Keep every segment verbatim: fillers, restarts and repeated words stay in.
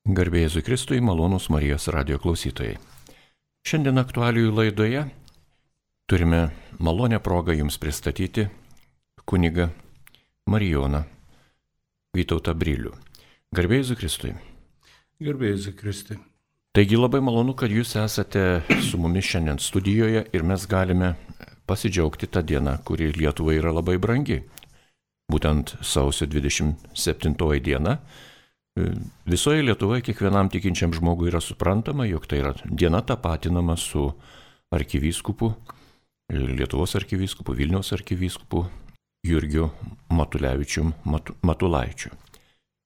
Garbė Jėzui Kristui, malonūs Marijos radijo klausytojai. Šiandien aktualijų laidoje turime malonę progą jums pristatyti kunigą Marijoną Vytautą Brilių. Garbė Jėzui Kristui. Garbė Jėzui Kristui. Taigi labai malonu, kad jūs esate su mumis šiandien studijoje ir mes galime pasidžiaugti tą dieną, kuri Lietuvai yra labai brangi. Būtent sausio dvidešimt septintoji diena. Visoje Lietuvoje kiekvienam tikinčiam žmogui yra suprantama, jog tai yra diena tapatinama su arkivyskupu, Lietuvos arkivyskupu, Vilniaus arkivyskupu Jurgiu Matulevičium Matu, Matulaičiu.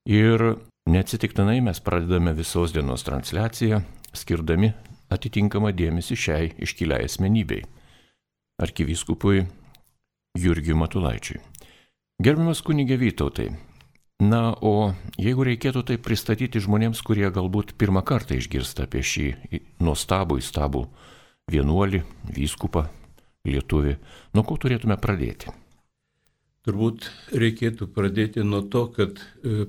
Ir neatsitiktinai mes pradedame visos dienos transliaciją, skirdami atitinkamą dėmesį šiai iškiliai asmenybei, arkivyskupui Jurgiu Matulaičiui. Gerbiamas kunige Vytautai, na, o jeigu reikėtų tai pristatyti žmonėms, kurie galbūt pirmą kartą išgirsta apie šį nuostabų, įstabų vienuolį, vyskupą, lietuvį, nuo ko turėtume pradėti? Turbūt reikėtų pradėti nuo to, kad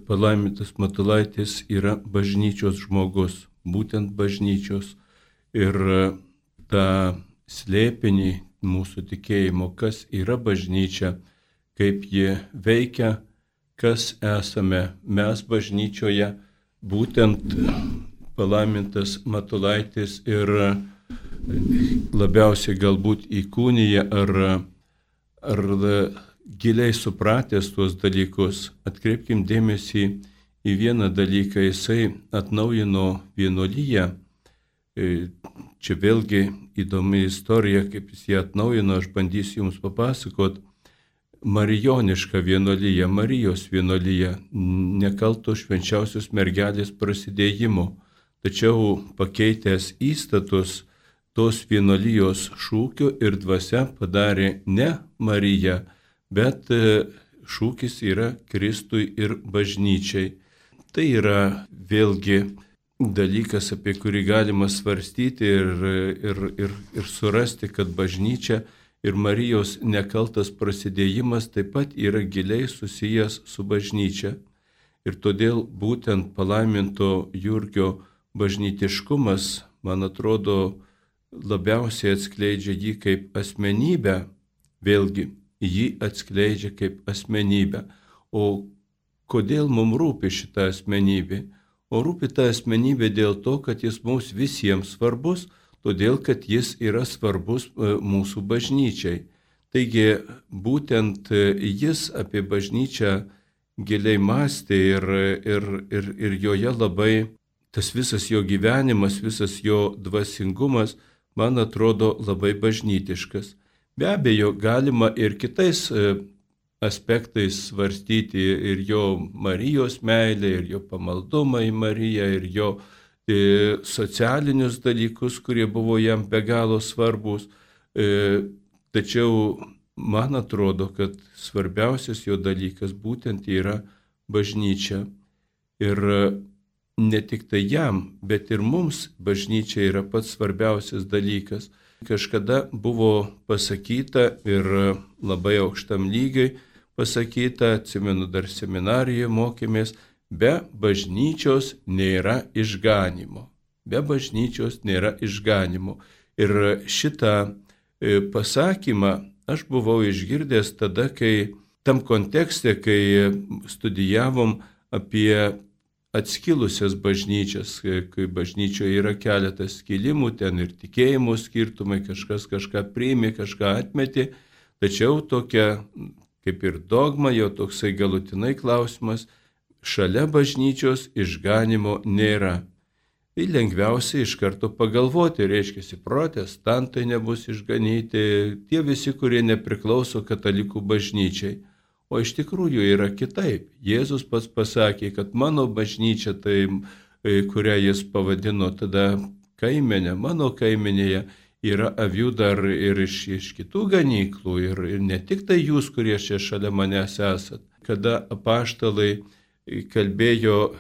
palaimintas Matulaitis yra bažnyčios žmogus, būtent bažnyčios. Ir tą slėpinį mūsų tikėjimo, kas yra bažnyčia, kaip ji veikia, kas esame mes bažnyčioje, būtent palaimintas Matulaitis ir labiausiai galbūt įkūnija ar, ar giliai supratęs tuos dalykus. Atkreipkim dėmesį į vieną dalyką, jisai atnaujino vienuoliją. Čia vėlgi įdomi istorija, kaip jis ją atnaujino, aš bandysiu jums papasakot. Marijoniška vienuolija, Marijos vienuolija, nekalto švenčiausios mergelės prasidėjimo, tačiau pakeitęs įstatus tos vienuolijos šūkio ir dvasia padarė ne Marija, bet šūkis yra Kristui ir bažnyčiai. Tai yra vėlgi dalykas, apie kurį galima svarstyti ir, ir, ir, ir surasti, kad bažnyčia ir Marijos nekaltas prasidėjimas taip pat yra giliai susijęs su bažnyčia. Ir todėl būtent palaiminto Jurgio bažnytiškumas, man atrodo, labiausiai atskleidžia jį kaip asmenybę, vėlgi jį atskleidžia kaip asmenybę. O kodėl mums rūpi šita asmenybė? O rūpi ta asmenybė dėl to, kad jis mums visiems svarbus, todėl, kad jis yra svarbus mūsų bažnyčiai. Taigi, būtent jis apie bažnyčią giliai mąstė ir, ir, ir, ir joje labai tas visas jo gyvenimas, visas jo dvasingumas, man atrodo, labai bažnytiškas. Be abejo, galima ir kitais aspektais svarstyti ir jo Marijos meilę, ir jo pamaldumą į Mariją, ir jo socialinius dalykus, kurie buvo jam be galo svarbus. Tačiau man atrodo, kad svarbiausias jo dalykas būtent yra bažnyčia. Ir ne tik tai jam, bet ir mums bažnyčia yra pats svarbiausias dalykas. Kažkada buvo pasakyta ir labai aukštam lygiai pasakyta, atsimenu, dar seminarijoje mokėmės, be bažnyčios nėra išganimo. Be bažnyčios nėra išganimo. Ir šitą pasakymą aš buvau išgirdęs tada, kai tam kontekste, kai studijavom apie atskilusias bažnyčias, kai bažnyčioje yra keletas skilimų, ten ir tikėjimo skirtumai, kažkas kažką priėmė, kažką atmetė, tačiau tokia kaip ir dogma, jau toksai galutinai klausimas, šalia bažnyčios išganimo nėra. Tai lengviausia iš karto pagalvoti, reiškia, protestantai nebus išganyti, tie visi, kurie nepriklauso katalikų bažnyčiai. O iš tikrųjų yra kitaip. Jėzus pats pasakė, kad mano bažnyčia, tai, kurią jis pavadino tada kaimenė, mano kaimenėje yra avių dar ir iš, iš kitų ganyklų, ir, ir ne tik tai jūs, kurie čia šalia manęs esat. Kada apaštalai kalbėjo,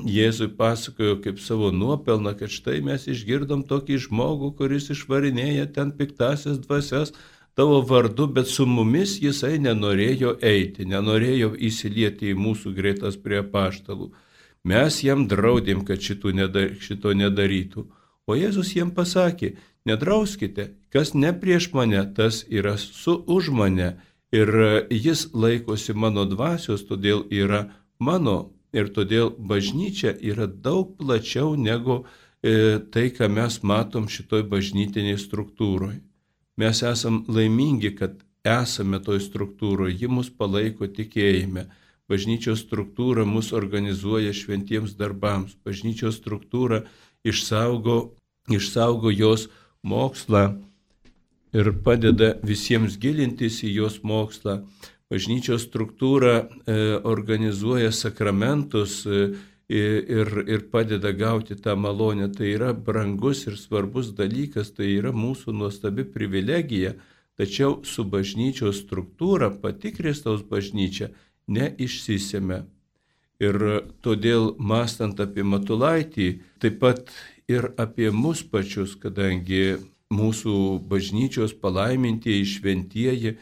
Jėzui pasakojo kaip savo nuopelną, kad štai mes išgirdom tokį žmogų, kuris išvarinėja ten piktasias dvasias tavo vardu, bet su mumis jisai nenorėjo eiti, nenorėjo įsilieti į mūsų greitas prie apaštalų. Mes jam draudėm, kad šito nedarytų. O Jėzus jiem pasakė, nedrauskite, kas ne prieš mane, tas yra su už mane. Ir jis laikosi mano dvasios, todėl yra mano. Ir todėl bažnyčia yra daug plačiau negu e, tai, ką mes matom šitoj bažnytiniai struktūroje. Mes esam laimingi, kad esame toj struktūroje, ji mus palaiko tikėjime. Bažnyčios struktūra mus organizuoja šventiems darbams. Bažnyčios struktūra išsaugo, išsaugo jos mokslą ir padeda visiems gilintis į jos mokslą. Bažnyčios struktūra e, organizuoja sakramentus e, ir, ir padeda gauti tą malonę. Tai yra brangus ir svarbus dalykas, tai yra mūsų nuostabi privilegija. Tačiau su bažnyčios struktūra, pati Kristaus bažnyčia, neišsisėmė. Ir todėl, mąstant apie Matulaitį, taip pat ir apie mus pačius, kadangi mūsų bažnyčios palaimintieji šventieji,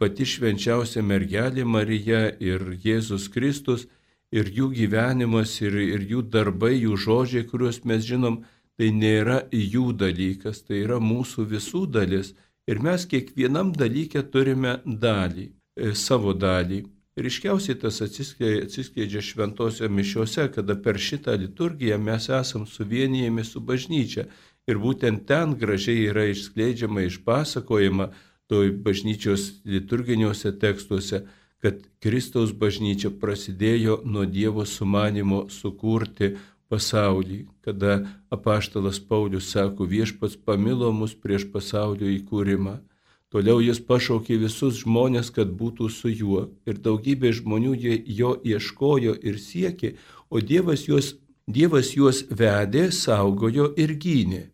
pati švenčiausia mergelė Marija ir Jėzus Kristus, ir jų gyvenimas, ir, ir jų darbai, jų žodžiai, kuriuos mes žinom, tai nėra jų dalykas, tai yra mūsų visų dalis. Ir mes kiekvienam dalykė turime dalį, savo dalį. Ryškiausiai tas atsiskleidžia šventose mišiose, kada per šitą liturgiją mes esam suvienijami su bažnyčia. Ir būtent ten gražiai yra išskleidžiama, išpasakojama toj bažnyčios liturginiuose tekstuose, kad Kristaus bažnyčia prasidėjo nuo Dievo sumanimo sukurti pasaulį, kada apaštalas Paulius sako, viešpats pamilo mus prieš pasaulio įkūrimą. Toliau jis pašaukė visus žmonės, kad būtų su juo. Ir daugybė žmonių jo ieškojo ir siekė, o Dievas juos, Dievas juos vedė, saugojo ir gynė.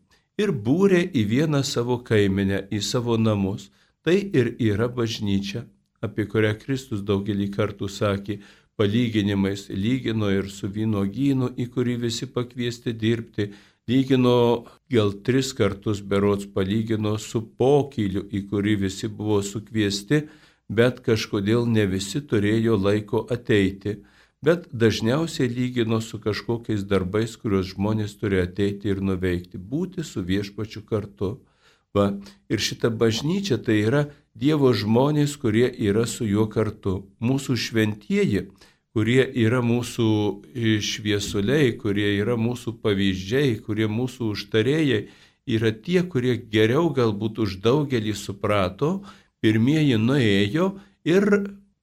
Ir būrė į vieną savo kaimenę, į savo namus. Tai ir yra bažnyčia, apie kurią Kristus daugelį kartų sakė, palyginimais lygino ir su vynuogynu, į kurį visi pakviesti dirbti, lygino gal tris kartus berods palygino su pokyliu, į kurį visi buvo sukviesti, bet kažkodėl ne visi turėjo laiko ateiti. Bet dažniausiai lygino su kažkokiais darbais, kuriuos žmonės turi ateiti ir nuveikti, būti su viešpačiu kartu. Va, ir šita bažnyčia tai yra Dievo žmonės, kurie yra su juo kartu. Mūsų šventieji, kurie yra mūsų šviesuliai, kurie yra mūsų pavyzdžiai, kurie mūsų užtarėjai, yra tie, kurie geriau galbūt už daugelį suprato, pirmieji nuėjo ir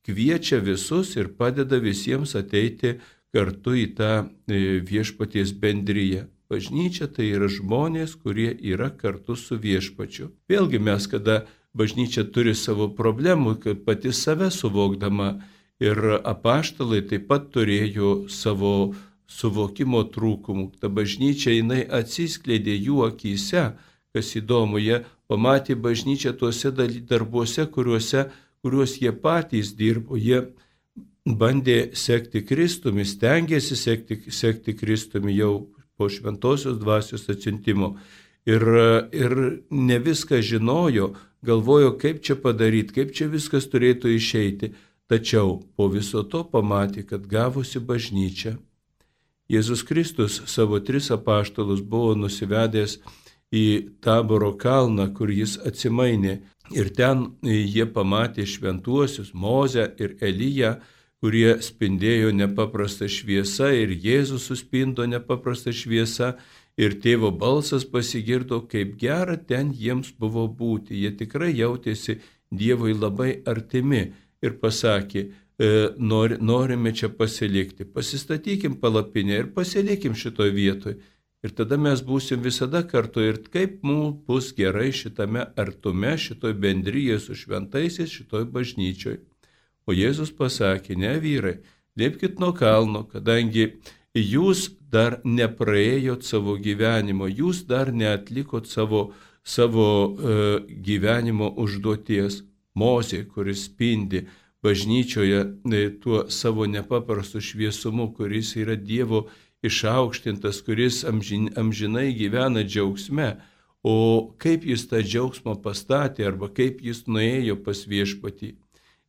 kviečia visus ir padeda visiems ateiti kartu į tą viešpaties bendriją. Bažnyčia tai yra žmonės, kurie yra kartu su viešpačiu. Vėlgi mes, kada bažnyčia turi savo problemų, kad pati save suvokdama, ir apaštalai taip pat turėjo savo suvokimo trūkumų. Ta bažnyčia, jinai atsiskleidė jų akyse, kas įdomu, jie pamatė bažnyčią tuose darbuose, kuriuose, kuriuos jie patys dirbo. Jie bandė sekti Kristumi, stengėsi sekti, sekti Kristumi jau po šventosios dvasios atsiuntimo. Ir, ir ne viską žinojo, galvojo, kaip čia padaryti, kaip čia viskas turėtų išeiti. Tačiau po viso to pamatė, kad gavosi bažnyčia. Jėzus Kristus savo tris apaštalus buvo nusivedęs į Taboro kalną, kur jis atsimainė. Ir ten jie pamatė šventuosius Mozę ir Eliją, kurie spindėjo nepaprastą šviesą, ir Jėzus suspindo nepaprastą šviesą, ir tėvo balsas pasigirdo, kaip gera ten jiems buvo būti. Jie tikrai jautėsi Dievui labai artimi ir pasakė, nor, norime čia pasilikti, pasistatykim palapinę ir pasilikim šitoj vietoj. Ir tada mes būsim visada kartu ir kaip mums bus gerai šitame artume, šitoj bendryje su šventaisiais, šitoj bažnyčioj. O Jėzus pasakė, ne vyrai, lipkit nuo kalno, kadangi jūs dar nepraėjot savo gyvenimo, jūs dar neatlikot savo, savo e, gyvenimo užduoties. Mozė, kuris spindi bažnyčioje e, tuo savo nepaprastu šviesumu, kuris yra Dievo išaukštintas, kuris amžin, amžinai gyvena džiaugsme. O kaip jis tą džiaugsmą pastatė arba kaip jis nuėjo pas viešpatį?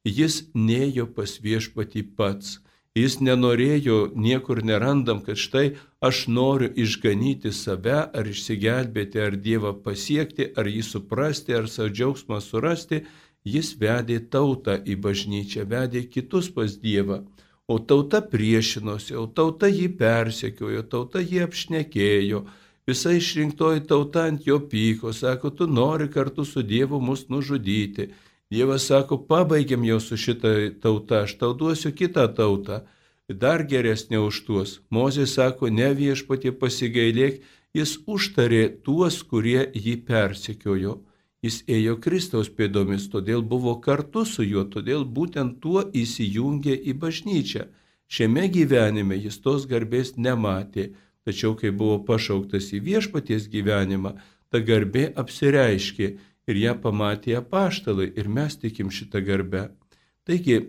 Jis nėjo pas viešpatį pats. Jis nenorėjo, niekur nerandam, kad štai aš noriu išganyti save, ar išsigelbėti, ar Dievą pasiekti, ar jį suprasti, ar savo džiaugsmą surasti. Jis vedė tautą į bažnyčią, vedė kitus pas Dievą. O tauta priešinosi, o tauta jį persekiojo, tauta jį apšnekėjo. Visa išrinktoji tauta ant jo pyko, sako, tu nori kartu su Dievu mus nužudyti. Dievas sako, pabaigiam jau su šitą tautą, aš tau duosiu kitą tautą, dar geresnė už tuos. Mozė sako, ne Viešpatie pasigailėk, jis užtarė tuos, kurie jį persekiojo. Jis ėjo Kristaus pėdomis, todėl buvo kartu su juo, todėl būtent tuo įsijungė į bažnyčią. Šiame gyvenime jis tos garbės nematė, tačiau kai buvo pašauktas į Viešpaties gyvenimą, ta garbė apsireiškė ir ją pamatė apaštalai ir mes tikim šitą garbę. Taigi,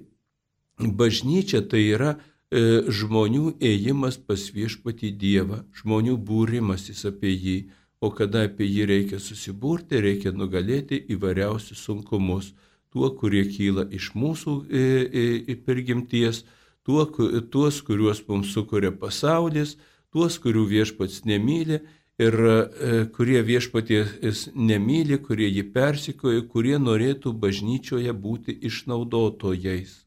bažnyčia tai yra e, žmonių ėjimas pas Viešpatį Dievą, žmonių būrimasis apie jį. O kada apie jį reikia susiburti, reikia nugalėti įvairiausius sunkumus. Tuo, kurie kyla iš mūsų e, e, prigimties, tuo, tuos, kuriuos mums sukuria pasaulis, tuos, kurių Viešpats nemyli ir e, kurie Viešpaties nemyli, kurie jį persikoja, kurie norėtų bažnyčioje būti išnaudotojais.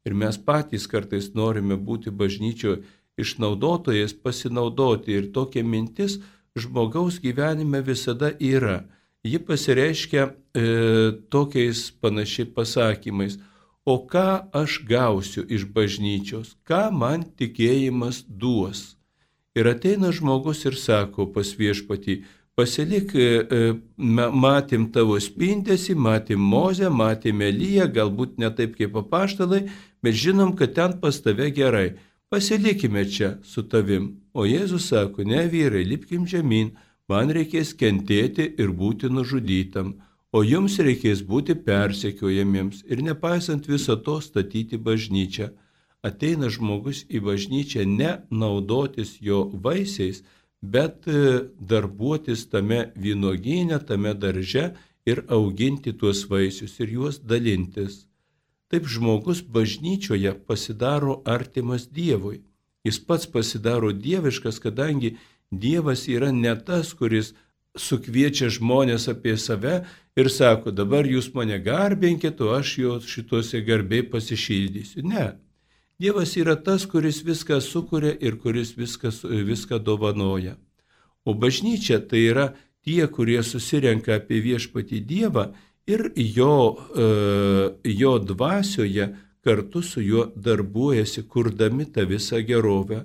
Ir mes patys kartais norime būti bažnyčioje išnaudotojais, pasinaudoti. Ir tokia mintis žmogaus gyvenime visada yra. Ji pasireiškia e, tokiais panašiai pasakymais. O ką aš gausiu iš bažnyčios? Ką man tikėjimas duos? Ir ateina žmogus ir sako pas Viešpatį, pasilik, e, matėm tavo spindesį, matėm Mozę, matėm Eliją, galbūt ne taip kaip apaštalai, bet žinom, kad ten pas tave gerai. Pasilikime čia su tavim. O Jėzus sako, ne vyrai, lipkim žemyn, man reikės kentėti ir būti nužudytam, o jums reikės būti persekiojamiems ir nepaisant viso to statyti bažnyčią. Ateina žmogus į bažnyčią ne naudotis jo vaisiais, bet darbuotis tame vynuogyne, tame darže ir auginti tuos vaisius ir juos dalintis. Taip žmogus bažnyčioje pasidaro artimas Dievui. Jis pats pasidaro dieviškas, kadangi Dievas yra ne tas, kuris sukviečia žmonės apie save ir sako, dabar jūs mane garbinkit, o aš jo šituose garbiai pasišildysiu. Ne. Dievas yra tas, kuris viską sukuria ir kuris viską, viską dovanoja. O bažnyčia tai yra tie, kurie susirenka apie Viešpatį Dievą ir jo, jo dvasioje kartu su juo darbuojasi, kurdami tą visą gerovę.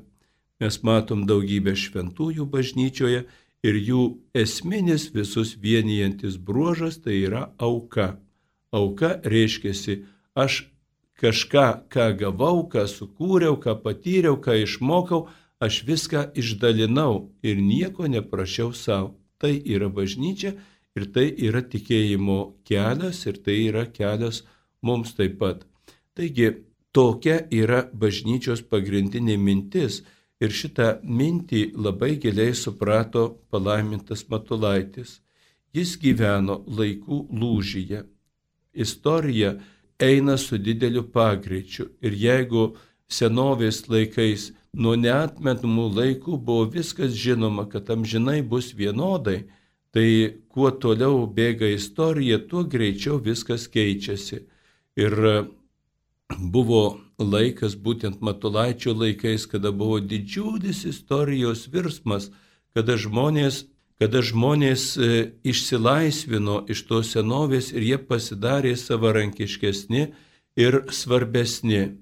Mes matom daugybę šventųjų bažnyčioje ir jų esminis visus vienijantis bruožas tai yra auka. Auka reiškiasi, aš kažką, ką gavau, ką sukūriau, ką patyriau, ką išmokau, aš viską išdalinau ir nieko neprašiau savo. Tai yra bažnyčia. Ir tai yra tikėjimo kelias ir tai yra kelias mums taip pat. Taigi, tokia yra bažnyčios pagrindinė mintis ir šitą mintį labai giliai suprato palaimintas Matulaitis. Jis gyveno laikų lūžyje. Istorija eina su dideliu pagreičiu ir jeigu senovės laikais nuo neatmetamų laikų buvo viskas žinoma, kad amžinai bus vienodai, tai kuo toliau bėga istorija, tuo greičiau viskas keičiasi. Ir buvo laikas, būtent Matulaičio laikais, kada buvo didžiulis istorijos virsmas, kada žmonės, kada žmonės išsilaisvino iš tos senovės ir jie pasidarė savarankiškesni ir svarbesni.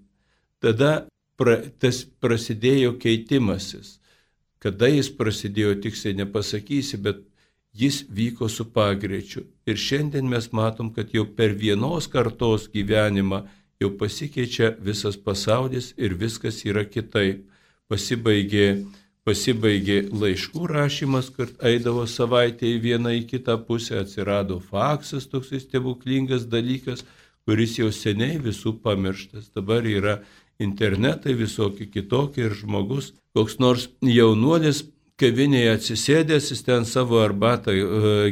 Tada pra, tas prasidėjo keitimasis. Kada jis prasidėjo, tiksliai nepasakysi, bet jis vyko su pagreičiu. Ir šiandien mes matom, kad jau per vienos kartos gyvenimą jau pasikeičia visas pasaulis ir viskas yra kitaip. Pasibaigė, pasibaigė laiškų rašymas, kad eidavo savaitę į vieną į kitą pusę, atsirado faksas, toks stebuklingas dalykas, kuris jau seniai visų pamirštas. Dabar yra internetai visokie kitokie ir žmogus, koks nors jaunuolis, kavinėje atsisėdęs, jis ten savo arbatą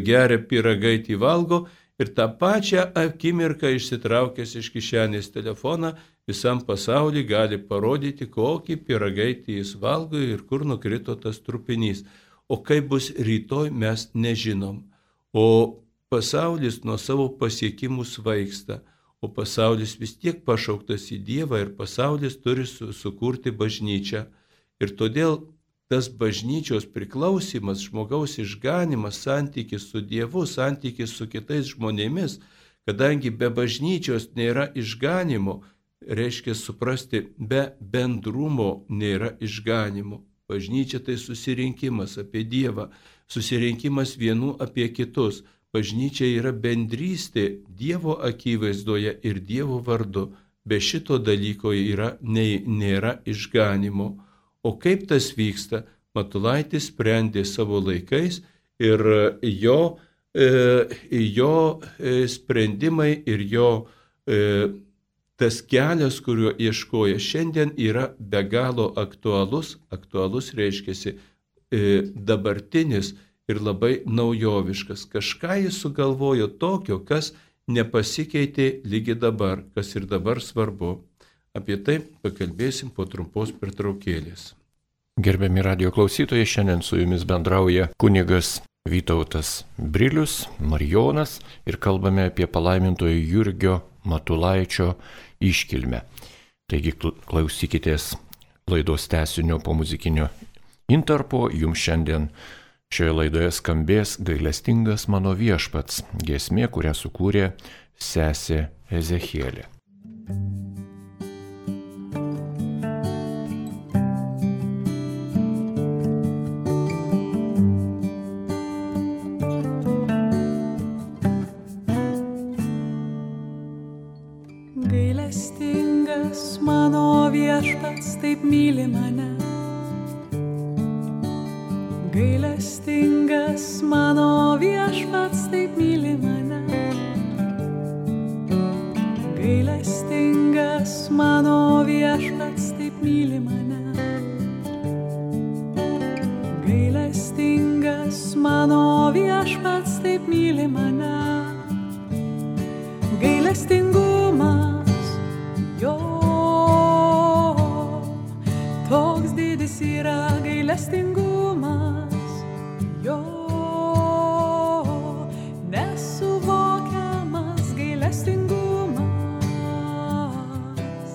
geria, pyragaitį valgo ir tą pačią akimirką išsitraukęs iš kišenės telefoną, visam pasauliu gali parodyti, kokį pyragaitį jis valgo ir kur nukrito tas trupinys. O kaip bus rytoj, mes nežinom. O pasaulis nuo savo pasiekimų svaigsta, o pasaulis vis tiek pašauktas į Dievą ir pasaulis turi su, sukurti bažnyčią. Ir todėl tas bažnyčios priklausimas, žmogaus išganimas, santykis su Dievu, santykis su kitais žmonėmis, kadangi be bažnyčios nėra išganimo, reiškia suprasti, be bendrumo nėra išganimo. Bažnyčia tai susirinkimas apie Dievą, susirinkimas vienų apie kitus. Bažnyčia yra bendrystė Dievo akivaizdoje ir Dievo vardu. Be šito dalyko yra, nei, nėra išganimo. O kaip tas vyksta, Matulaitis sprendė savo laikais ir jo, e, jo sprendimai ir jo e, tas kelias, kuriuo ieškoja šiandien, yra be galo aktualus. Aktualus reiškiasi e, dabartinis ir labai naujoviškas. Kažką jis sugalvojo tokio, kas nepasikeitė lygi dabar, kas ir dabar svarbu. Apie tai pakalbėsim po trumpos pertraukėlės. Gerbiami radio klausytojai, šiandien su jumis bendrauja kunigas Vytautas Brilius, Marijonas ir kalbame apie palaimintojo Jurgio Matulaičio iškilmę. Taigi klausykitės laidos tęsinio po muzikinio intarpo. Jums šiandien šioje laidoje skambės Gailestingas mano viešpats, giesmė, kurią sukūrė sesė Ezechielė. Gailestingas mano viešpats taip myli mane. Gailestingas mano viešpats taip myli mane. Gailestingas mano viešpats taip myli mane. Gailestingas mano viešpats taip myli mane. Gailestingumas jo toks didis yra, gailestingumas jo nesuvokiamas, gailestingumas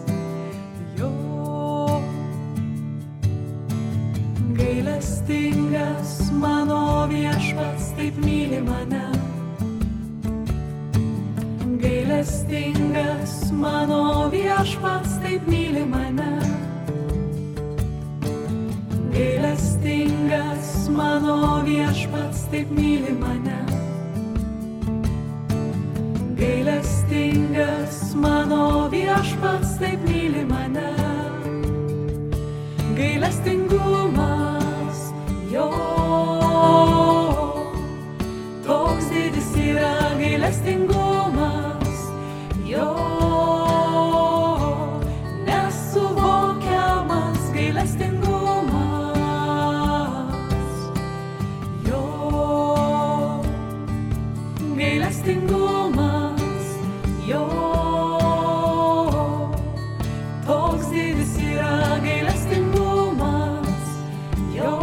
jo. Gailestingas mano viešpats taip myli mane. Gailestingas mano viešpats taip myli mane. Gailestingas mano viešpats taip myli mane. Gailestingas mano viešpats taip myli mane. Gailestingumas jo toks didis yra, gailestingumas jo nesuvokiamas, gailestingumas jo. Gailestingumas jo toks didis yra, gailestingumas jo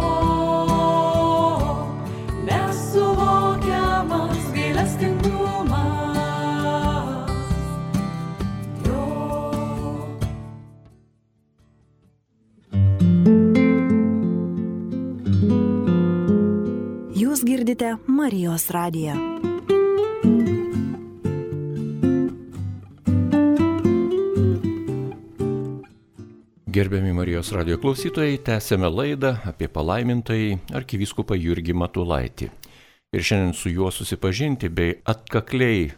nesuvokiamas, gailestingumas jo. Jūs girdite Marijos radiją. Gerbiami Marijos radijo klausytojai, tęsėme laidą apie palaimintąjį arkivyskupą Jurgį Matulaitį. Ir šiandien su juo susipažinti bei atkakliai,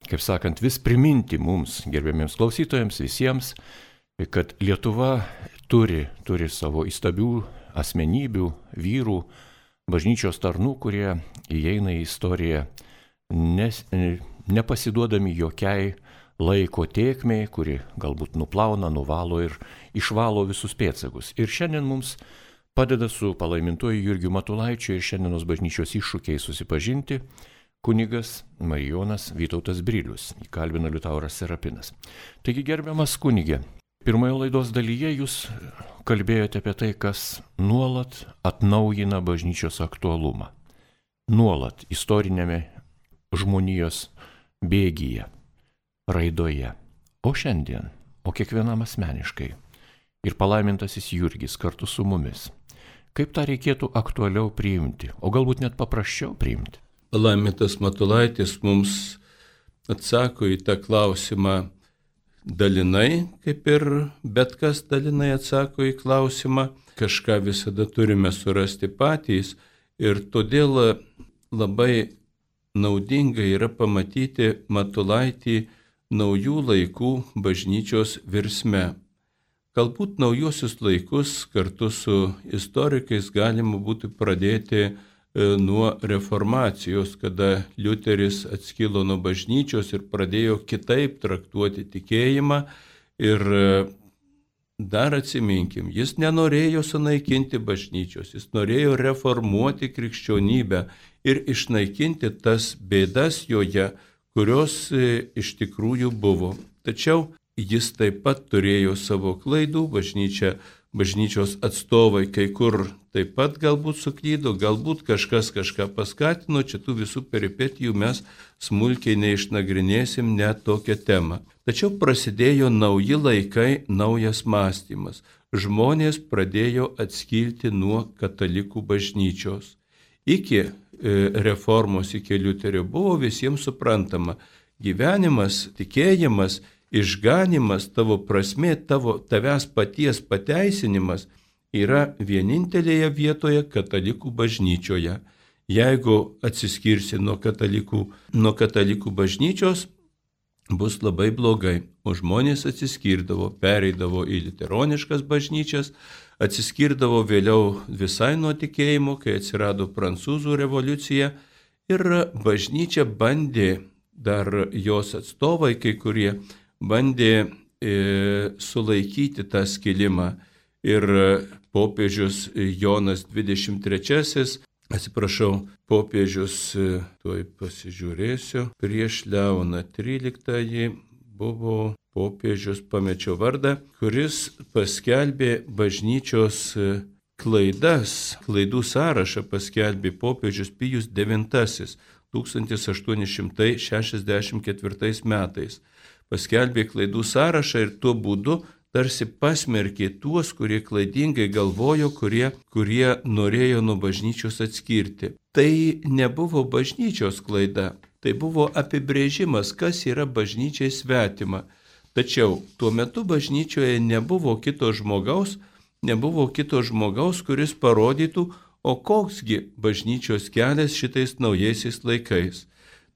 kaip sakant, vis priminti mums, gerbiamiems klausytojams, visiems, kad Lietuva turi, turi savo įstabių asmenybių, vyrų, bažnyčios tarnų, kurie įeina į istoriją nes, nepasiduodami jokiai laiko tėkmei, kuri galbūt nuplauna, nuvalo ir išvalo visus pėdsakus. Ir šiandien mums padeda su palaimintuoju Jurgiu Matulaičiu ir šiandienos bažnyčios iššūkiai susipažinti kunigas Marijonas Vytautas Brilius, įkalbino Liutauras Serapinas. Taigi, gerbiamas kunigė, pirmoje laidos dalyje jūs kalbėjote apie tai, kas nuolat atnaujina bažnyčios aktualumą. Nuolat istorinėme žmonijos bėgyje, raidoje. O šiandien, o kiekvienam asmeniškai. Ir palaimintasis Jurgis kartu su mumis. Kaip tą reikėtų aktualiau priimti, o galbūt net paprasčiau priimti? Palaimintas Matulaitis mums atsako į tą klausimą dalinai, kaip ir bet kas dalinai atsako į klausimą. Kažką visada turime surasti patys ir todėl labai naudinga yra pamatyti Matulaitį naujų laikų bažnyčios virsme. Galbūt naujosius laikus kartu su istorikais galima būtų pradėti nuo reformacijos, kada Liuteris atskilo nuo bažnyčios ir pradėjo kitaip traktuoti tikėjimą. Ir dar atsiminkim, jis nenorėjo sunaikinti bažnyčios, jis norėjo reformuoti krikščionybę ir išnaikinti tas bėdas joje, kurios iš tikrųjų buvo. Tačiau jis taip pat turėjo savo klaidų, bažnyčia, bažnyčios atstovai kai kur taip pat galbūt suklydo, galbūt kažkas kažką paskatino, čia tų visų peripetijų mes smulkiai neišnagrinėsim net tokią temą. Tačiau prasidėjo nauji laikai, naujas mąstymas. Žmonės pradėjo atskilti nuo katalikų bažnyčios. Iki e, reformos, iki Liuterio buvo visiems suprantama, gyvenimas, tikėjimas, išganimas, tavo prasmė, tavo tavęs paties pateisinimas yra vienintelėje vietoje katalikų bažnyčioje. Jeigu atsiskirsi nuo katalikų, nuo katalikų bažnyčios, bus labai blogai. O žmonės atsiskirdavo, pereidavo į liuteroniškas bažnyčias, atsiskirdavo vėliau visai nuo tikėjimo, kai atsirado Prancūzų revoliucija ir bažnyčia bandė, dar jos atstovai kai kurie, bandė e, sulaikyti tą skilimą. Ir popiežius Jonas dvidešimt trečiasis, atsiprašau, popiežius, tuoj pasižiūrėsiu, prieš Leoną tryliktąjį buvo popiežius, pamečiau vardą, kuris paskelbė bažnyčios klaidas, klaidų sąrašą paskelbė popiežius Pijus devintasis tūkstantis aštuoni šimtai šešiasdešimt ketvirtais metais. Paskelbė klaidų sąrašą ir tuo būdu tarsi pasmerkė tuos, kurie klaidingai galvojo, kurie, kurie norėjo nuo bažnyčios atskirti. Tai nebuvo bažnyčios klaida, tai buvo apibrėžimas, kas yra bažnyčiai svetima. Tačiau tuo metu bažnyčioje nebuvo kito žmogaus, nebuvo kito žmogaus, kuris parodytų, o koksgi bažnyčios kelias šitais naujaisiais laikais.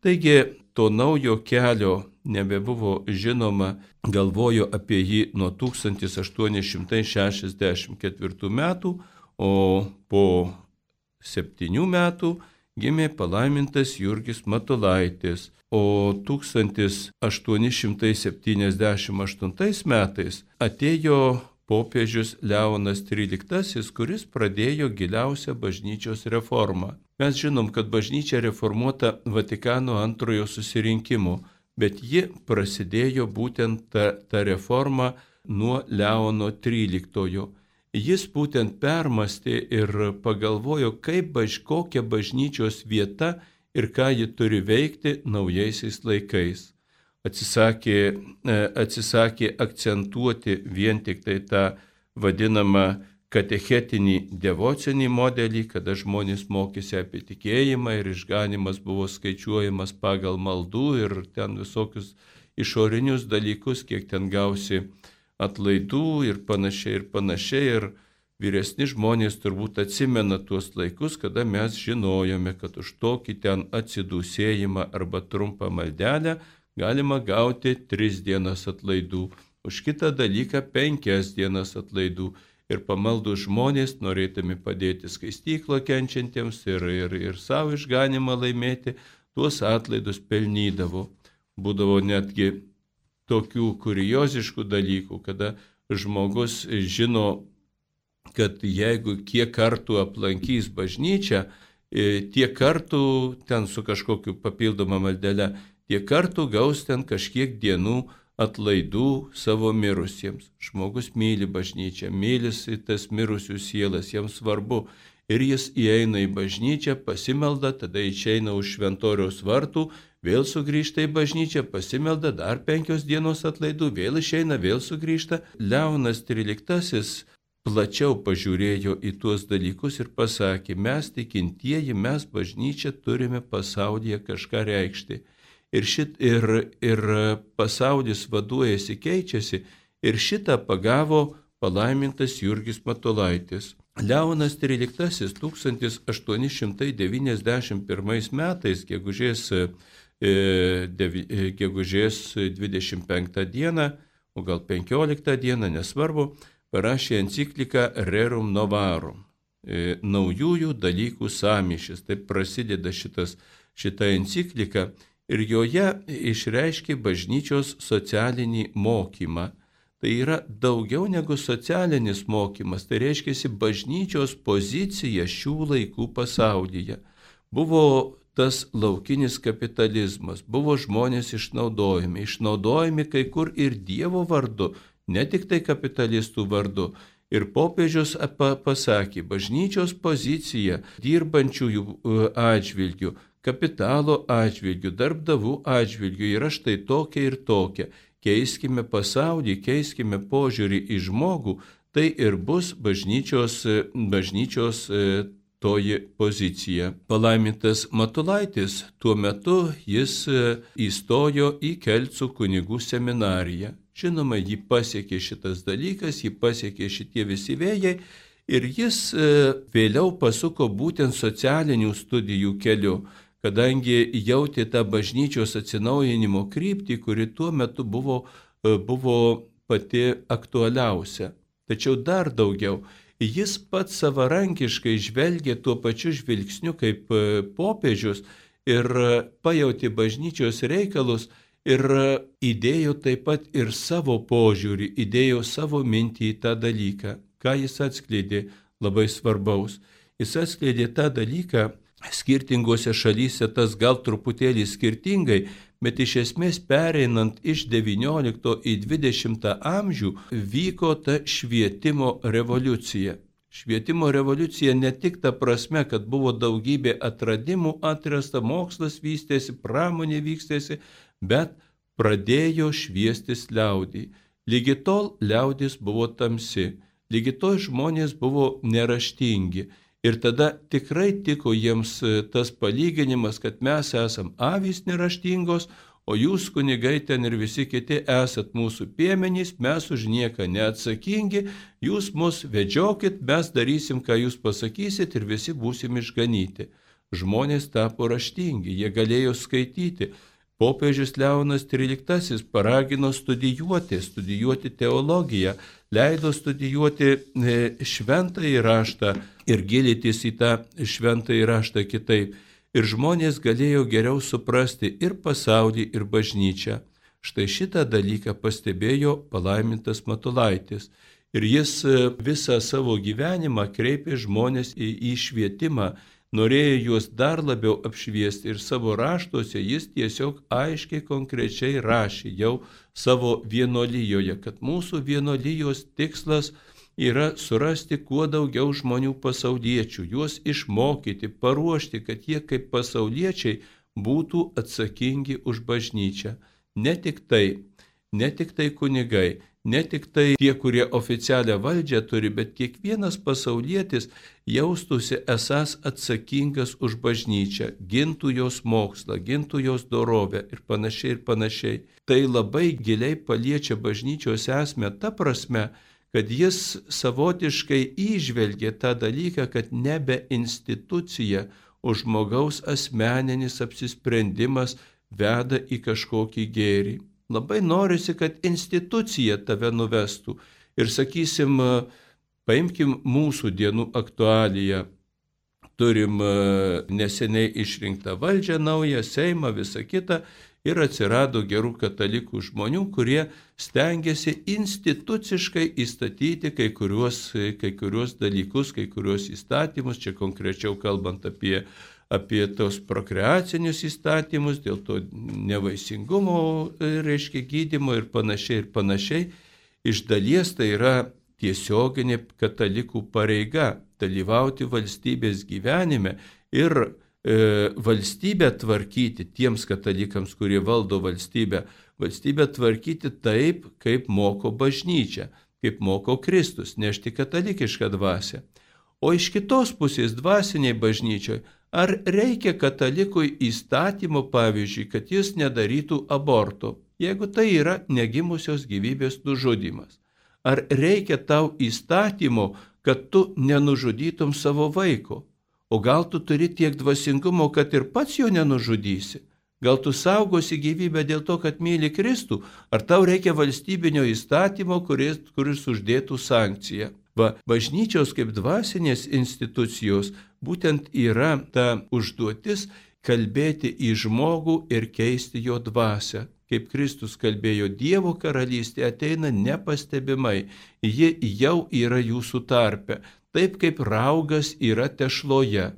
Taigi to naujo kelio nebebuvo žinoma, galvojo apie jį nuo tūkstantis aštuoni šimtai šešiasdešimt ketvirtų metų, o po septynių metų gimė palaimintas Jurgis Matulaitis, o tūkstantis aštuoni šimtai septyniasdešimt aštuntais metais atėjo popiežius Leonas tryliktasis, kuris pradėjo giliausią bažnyčios reformą. Mes žinom, kad bažnyčia reformuota Vatikano antrojo susirinkimo, bet ji prasidėjo būtent ta, ta reforma nuo Leono tryliktojo. Jis būtent permastė ir pagalvojo, kaip baž, kokia bažnyčios vieta ir ką ji turi veikti naujaisiais laikais. Atsisakė, atsisakė akcentuoti vien tik tai tą vadinamą katechetinį devocinį modelį, kada žmonės mokėsi apie tikėjimą ir išganimas buvo skaičiuojamas pagal maldų ir ten visokius išorinius dalykus, kiek ten gausi atlaidų ir panašiai ir panašiai. Ir vyresni žmonės turbūt atsimena tuos laikus, kada mes žinojome, kad už tokį ten atsidūsėjimą arba trumpą maldelę galima gauti tris dienas atlaidų, už kitą dalyką penkias dienas atlaidų. Ir pamaldų žmonės, norėdami padėti skaistyklo kenčiantiems ir, ir, ir savo išganimą laimėti, tuos atlaidus pelnydavo. Būdavo netgi tokių kurioziškų dalykų, kada žmogus žino, kad jeigu kiek kartų aplankys bažnyčią tiek kartų ten su kažkokiu papildoma maldele, tiek kartų gaus ten kažkiek dienų atlaidų savo mirusiems. Žmogus myli bažnyčią, mylisi tas mirusių sielas, jiems svarbu. Ir jis įeina į bažnyčią, pasimelda, tada išeina už šventoriaus vartų, vėl sugrįžta į bažnyčią, pasimelda, dar penkios dienos atlaidų, vėl išeina, vėl sugrįžta. Leonas tryliktasis plačiau pažiūrėjo į tuos dalykus ir pasakė, mes tikintieji, mes bažnyčią turime pasaulyje kažką reikšti. Ir, šit, ir, ir pasaulis vaduojasi, keičiasi ir šitą pagavo palaimintas Jurgis Matulaitis. Leonas tryliktasis tūkstantis aštuoni šimtai devyniasdešimt pirmais metais, gegužės, e, devi, gegužės dvidešimt penktą dieną, o gal penkioliktą dieną, nesvarbu, parašė encikliką Rerum Novarum, e, naujųjų dalykų sąmyšis. Taip prasideda šitas, šita enciklika. Ir joje išreiškė bažnyčios socialinį mokymą. Tai yra daugiau negu socialinis mokymas, tai reiškia bažnyčios pozicija šių laikų pasaulyje. Buvo tas laukinis kapitalizmas, buvo žmonės išnaudojami, išnaudojami kai kur ir Dievo vardu, ne tik tai kapitalistų vardu. Ir popiežius pasakė, bažnyčios pozicija dirbančiųjų atžvilgių, kapitalo atžvilgių, darbdavų atžvilgių yra štai tokia ir tokia. Keiskime pasaulį, keiskime požiūrį į žmogų, tai ir bus bažnyčios, bažnyčios toji pozicija. Palaimintas Matulaitis tuo metu jis įstojo į Kelcų kunigų seminariją. Žinoma, jį pasiekė šitas dalykas, jį pasiekė šitie visi vėjai ir jis vėliau pasuko būtent socialinių studijų keliu, kadangi jautė tą bažnyčios atsinaujinimo kryptį, kuri tuo metu buvo, buvo pati aktualiausia. Tačiau dar daugiau, jis pats savarankiškai žvelgė tuo pačiu žvilgsniu kaip popiežius ir pajautė bažnyčios reikalus ir įdėjo taip pat ir savo požiūrį, įdėjo savo mintį į tą dalyką. Ką jis atskleidė labai svarbaus? Jis atskleidė tą dalyką, skirtingose šalyse tas gal truputėlį skirtingai, bet iš esmės pereinant iš devyniolikto į dvidešimtą amžių vyko ta švietimo revoliucija. Švietimo revoliucija ne tik ta prasme, kad buvo daugybė atradimų atrasta, mokslas vystėsi, pramonė vystėsi, bet pradėjo šviestis liaudį. Lygi tol liaudis buvo tamsi, lygi tol žmonės buvo neraštingi. Ir tada tikrai tiko jiems tas palyginimas, kad mes esam avys neraštingos, o jūs kunigai ten ir visi kiti esat mūsų piemenys, mes už nieką neatsakingi, jūs mus vedžiokit, mes darysim, ką jūs pasakysit ir visi būsim išganyti. Žmonės tapo raštingi, jie galėjo skaityti. Popiežius Leonas tryliktasis paragino studijuoti, studijuoti teologiją, leido studijuoti šventąjį raštą ir gilintis į tą šventąjį raštą kitaip. Ir žmonės galėjo geriau suprasti ir pasaulį, ir bažnyčią. Štai šitą dalyką pastebėjo palaimintas Matulaitis. Ir jis visą savo gyvenimą kreipė žmonės į, į švietimą, norėjo juos dar labiau apšviesti ir savo raštuose jis tiesiog aiškiai konkrečiai rašė jau savo vienuolijoje, kad mūsų vienuolijos tikslas yra surasti kuo daugiau žmonių pasauliečių, juos išmokyti, paruošti, kad jie kaip pasauliečiai būtų atsakingi už bažnyčią. Ne tik tai, ne tik tai kunigai, ne tik tai tie, kurie oficialią valdžią turi, bet kiekvienas pasaulietis jaustųsi esąs atsakingas už bažnyčią, gintų jos mokslą, gintų jos dorovę ir panašiai ir panašiai. Tai labai giliai paliečia bažnyčios esmę ta prasme, kad jis savotiškai įžvelgė tą dalyką, kad nebe institucija, o žmogaus asmeninis apsisprendimas veda į kažkokį gėrį. Labai norisi, kad institucija tave nuvestų. Ir sakysim, paimkim mūsų dienų aktualiją. Turim neseniai išrinktą valdžią naują, Seimą, visą kitą. Ir atsirado gerų katalikų žmonių, kurie stengiasi instituciškai įstatyti kai kuriuos, kai kuriuos dalykus, kai kuriuos įstatymus, čia konkrečiau kalbant apie, apie tos prokreacinius įstatymus, dėl to nevaisingumo, reiškia, gydymo ir panašiai ir panašiai. Iš dalies tai yra tiesioginė katalikų pareiga dalyvauti valstybės gyvenime ir e, valstybę tvarkyti tiems katalikams, kurie valdo valstybę, valstybę tvarkyti taip, kaip moko bažnyčia, kaip moko Kristus, nešti katalikišką dvasią. O iš kitos pusės dvasiniai bažnyčioj, ar reikia katalikui įstatymo, pavyzdžiui, kad jis nedarytų aborto, jeigu tai yra negimusios gyvybės nužudymas? Ar reikia tau įstatymo, kad tu nenužudytum savo vaiko? O gal tu turi tiek dvasingumo, kad ir pats jo nenužudysi? Gal tu saugosi gyvybę dėl to, kad myli Kristų? Ar tau reikia valstybinio įstatymo, kuris, kuris uždėtų sankciją? Va, bažnyčios kaip dvasinės institucijos būtent yra ta užduotis kalbėti į žmogų ir keisti jo dvasią. Kaip Kristus kalbėjo, Dievo karalystė ateina nepastebimai, ji jau yra jūsų tarpe, taip kaip raugas yra tešloje.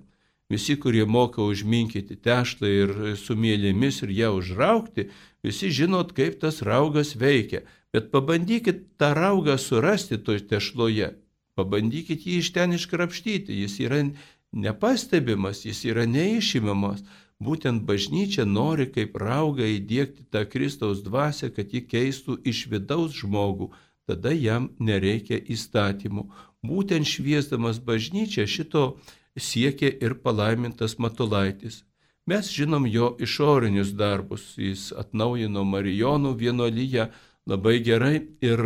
Visi, kurie moka užminkyti tešlą ir su mėlėmis ir ją užraukti, visi žinot, kaip tas raugas veikia, bet pabandykit tą raugą surasti toj tešloje, pabandykit jį iš ten iškrapštyti, jis yra nepastebimas, jis yra neišimamas. Būtent bažnyčia nori kaip raugą įdiegti tą Kristaus dvasią, kad ji keistų iš vidaus žmogų, tada jam nereikia įstatymų. Būtent šviesdamas bažnyčią šito siekė ir palaimintas Matulaitis. Mes žinom jo išorinius darbus, jis atnaujino Marijonų vienuoliją labai gerai ir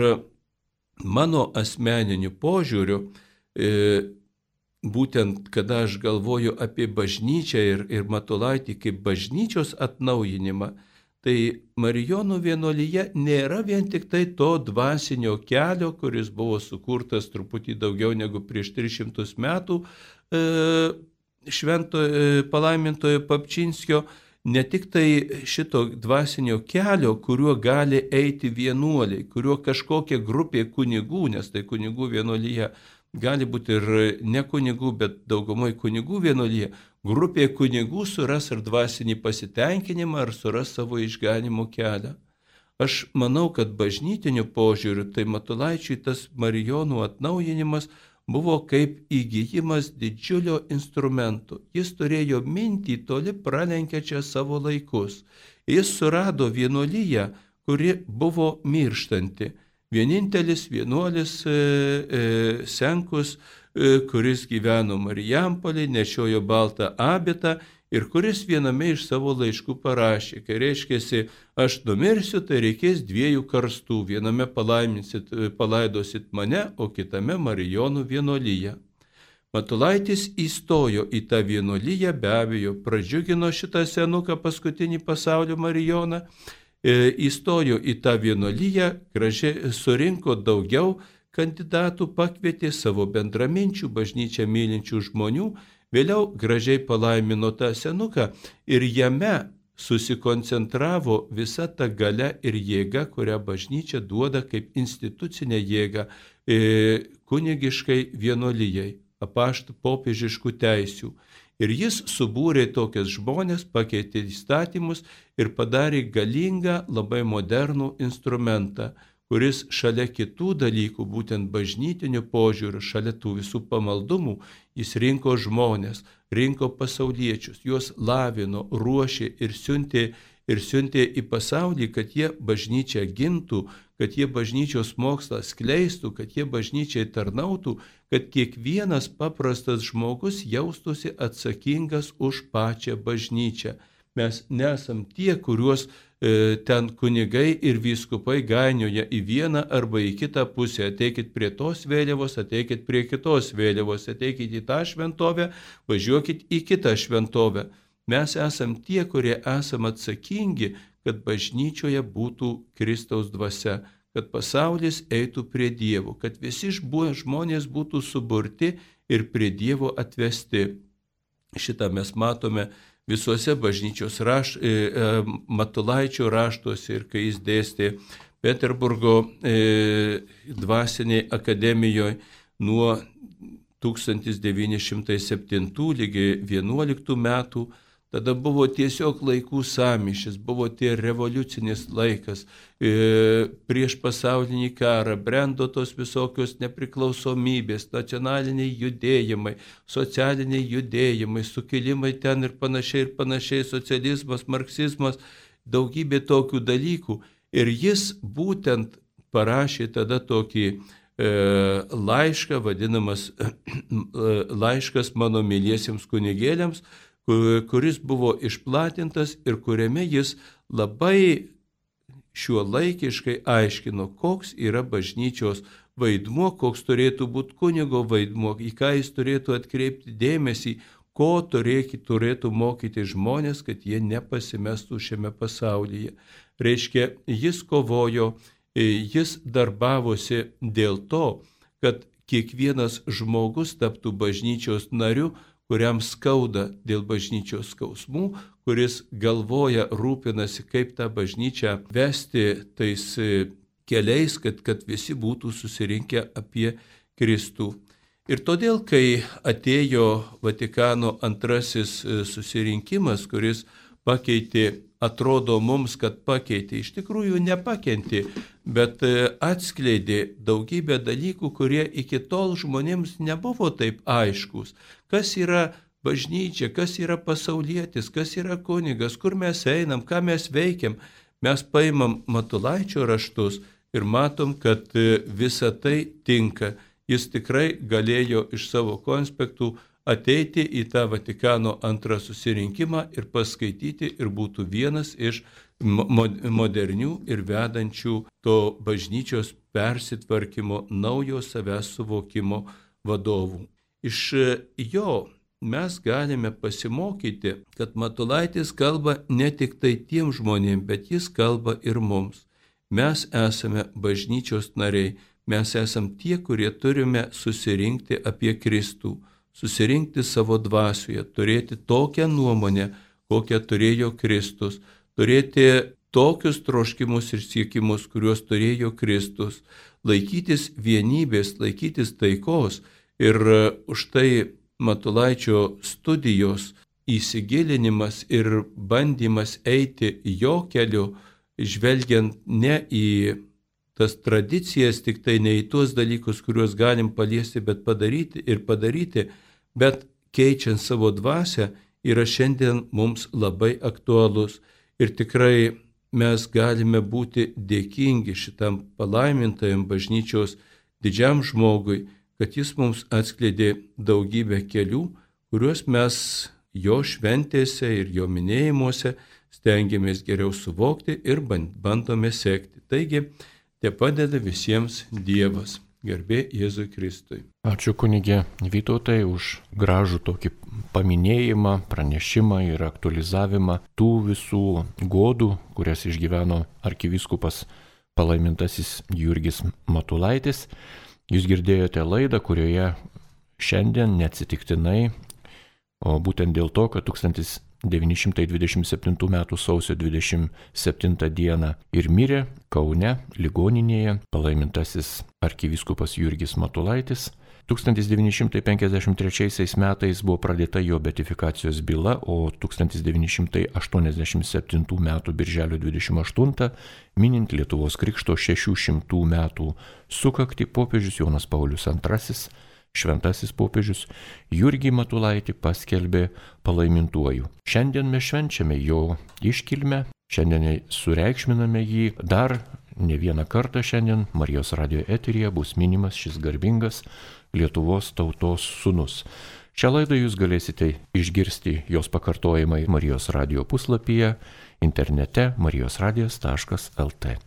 mano asmeniniu požiūriu, e, būtent kada aš galvoju apie bažnyčią ir, ir Matulaitį kaip bažnyčios atnaujinimą, tai Marijonų vienuolyje nėra vien tik tai to dvasinio kelio, kuris buvo sukurtas truputį daugiau negu prieš tris šimtus metų e, švento e, palaimintojo Papčinskio, ne tik tai šito dvasinio kelio, kuriuo gali eiti vienuoliai, kuriuo kažkokia grupė kunigų, nes tai kunigų vienuolyje, gali būti ir ne kunigų, bet daugumai kunigų vienuolyje, grupė kunigų suras ir dvasinį pasitenkinimą, ar suras savo išganimo kelią. Aš manau, kad bažnytiniu požiūriu, tai Matulaičiui tas Marijonų atnaujinimas buvo kaip įgijimas didžiulio instrumento. Jis turėjo mintį toli pralenkiančią savo laikus. Jis surado vienuolyje, kuri buvo mirštanti. Vienintelis vienuolis e, e, Senkus, e, kuris gyveno Marijampolėje, nešiojo baltą abitą ir kuris viename iš savo laiškų parašė, kai reiškėsi, aš numirsiu, tai reikės dviejų karstų, viename palaidosit mane, o kitame Marijonų vienuolyje. Matulaitis įstojo į tą vienuolyje, be abejo, pradžiugino šitą senuką paskutinį pasaulio Marijoną, įstojo į tą vienuolyje, gražiai surinko daugiau kandidatų, pakvietė savo bendraminčių, bažnyčią mylinčių žmonių, vėliau gražiai palaimino tą senuką ir jame susikoncentravo visa ta galia ir jėga, kurią bažnyčia duoda kaip institucinę jėgą kunigiškai vienuolijai, apaštų popiežiškų teisių. Ir jis subūrė tokias žmonės, pakeitė įstatymus ir padarė galingą, labai modernų instrumentą, kuris šalia kitų dalykų, būtent bažnytinių požiūrių, šalia tų visų pamaldumų, jis rinko žmonės, rinko pasauliečius, juos lavino, ruošė ir siuntė, ir siuntė į pasaulį, kad jie bažnyčią gintų, kad jie bažnyčios mokslą skleistų, kad jie bažnyčiai tarnautų, kad kiekvienas paprastas žmogus jaustųsi atsakingas už pačią bažnyčią. Mes nesam tie, kuriuos e, ten kunigai ir vyskupai gainioja į vieną arba į kitą pusę. Ateikit prie tos vėliavos, ateikit prie kitos vėliavos, ateikit į tą šventovę, važiuokit į kitą šventovę. Mes esam tie, kurie esam atsakingi, kad bažnyčioje būtų Kristaus dvasia, kad pasaulis eitų prie Dievo, kad visi žmonės būtų suburti ir prie Dievo atvesti. Šitą mes matome visuose bažnyčios raš, e, e, Matulaičio raštuose ir kai jis dėstė Peterburgo e, dvasinėje akademijoje nuo tūkstantis devyni šimtai septintų lygi vienuoliktų metų, tada buvo tiesiog laikų sąmyšis, buvo tie revoliucinis laikas, e, prieš pasaulinį karą, brendo tos visokios nepriklausomybės, nacionaliniai judėjimai, socialiniai judėjimai, sukilimai ten ir panašiai, ir panašiai, socializmas, marksizmas, daugybė tokių dalykų. Ir jis būtent parašė tada tokį laišką, vadinamas laiškas mano myliesiems kunigėliams, kuris buvo išplatintas ir kuriame jis labai šiuolaikiškai aiškino, koks yra bažnyčios vaidmuo, koks turėtų būti kunigo vaidmuo, į ką jis turėtų atkreipti dėmesį, ko turėtų, turėtų mokyti žmonės, kad jie nepasimestų šiame pasaulyje. Reiškia, jis kovojo, jis darbavosi dėl to, kad kiekvienas žmogus taptų bažnyčios nariu, kuriam skauda dėl bažnyčios skausmų, kuris galvoja, rūpinasi, kaip tą bažnyčią vesti tais keliais, kad, kad visi būtų susirinkę apie Kristų. Ir todėl, kai atėjo Vatikano antrasis susirinkimas, kuris pakeitė, atrodo mums, kad pakeitė, iš tikrųjų nepakentė, bet atskleidė daugybę dalykų, kurie iki tol žmonėms nebuvo taip aiškus. Kas yra bažnyčia, kas yra pasaulietis, kas yra kunigas, kur mes einam, ką mes veikiam. Mes paimam Matulaičio raštus ir matom, kad visa tai tinka. Jis tikrai galėjo iš savo konspektų ateiti į tą Vatikano antrą susirinkimą ir paskaityti ir būtų vienas iš modernių ir vedančių to bažnyčios persitvarkymo, naujo savęs suvokimo vadovų. Iš jo mes galime pasimokyti, kad Matulaitis kalba ne tik tai tiem žmonėms, bet jis kalba ir mums. Mes esame bažnyčios nariai, mes esame tie, kurie turime susirinkti apie Kristų, susirinkti savo dvasioje, turėti tokią nuomonę, kokią turėjo Kristus, turėti tokius troškimus ir siekimus, kuriuos turėjo Kristus, laikytis vienybės, laikytis taikos. Ir už tai Matulaičio studijos įsigilinimas ir bandymas eiti jo keliu, žvelgiant ne į tas tradicijas, tik tai ne į tuos dalykus, kuriuos galim paliesti, bet padaryti ir padaryti, bet keičiant savo dvasią, yra šiandien mums labai aktualus. Ir tikrai mes galime būti dėkingi šitam palaimintajam bažnyčios didžiam žmogui, kad jis mums atskleidė daugybę kelių, kuriuos mes jo šventėse ir jo minėjimuose stengiamės geriau suvokti ir bandome sekti. Taigi, te padeda visiems Dievas. Garbė Jėzui Kristui. Ačiū kunigė Vytautai už gražų tokį paminėjimą, pranešimą ir aktualizavimą tų visų godų, kurias išgyveno arkivyskupas palaimintasis Jurgis Matulaitis. Jūs girdėjote laidą, kurioje šiandien neatsitiktinai, o būtent dėl to, kad tūkstantis devyni šimtai dvidešimt septintų metų sausio dvidešimt septintą dieną ir mirė Kaune ligoninėje palaimintasis arkivyskupas Jurgis Matulaitis. tūkstantis devyni šimtai penkiasdešimt trečiaisiais metais buvo pradėta jo beatifikacijos byla, o tūkstantis devyni šimtai aštuoniasdešimt septintų metų birželio dvidešimt aštuntą, minint Lietuvos krikšto šešių šimtų metų sukaktį, popiežius Jonas Paulius antrasis, šventasis popiežius, Jurgį Matulaitį paskelbė palaimintuoju. Šiandien mes švenčiame jo iškilmę, šiandien sureikšminame jį, dar ne vieną kartą šiandien Marijos radijo eteryje bus minimas šis garbingas Lietuvos tautos sūnus. Šią laidą jūs galėsite išgirsti jos pakartojimai Marijos radijo puslapyje, internete marijos radijas taškas el tė.